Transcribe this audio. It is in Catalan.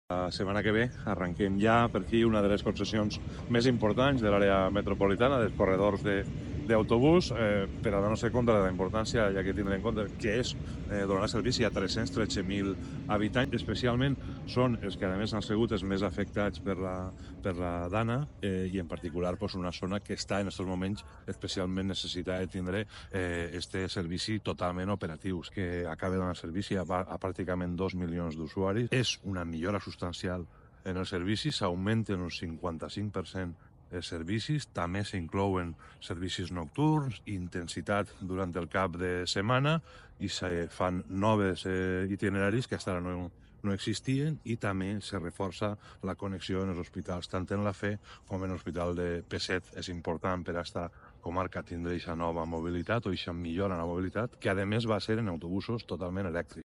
La setmana que ve arrenquem ja per aquí una de les concessions més importants de l'àrea metropolitana, dels corredors d'autobús, per a donar-se compte de la importància, ja que tindrem en compte que és donar servici a 313.000 habitants. Especialment són els que a més han sigut els més afectats per la dana i en particular una zona que està en aquests moments especialment necessitada de tindre este servici totalment operatiu, que acaba de donar servici a pràcticament 2 milions d'usuaris. És una millora substancial en els servicis, s'augmenten un 55% els servicis, també s'inclouen servicis nocturns, intensitat durant el cap de setmana i se fan noves itineraris que fins ara no existien i també se reforça la connexió en els hospitals, tant en la FE com en l'Hospital de P7. És important per a esta comarca tindre aquesta nova mobilitat o aquesta millora en la mobilitat, que a més va ser en autobusos totalment elèctrics.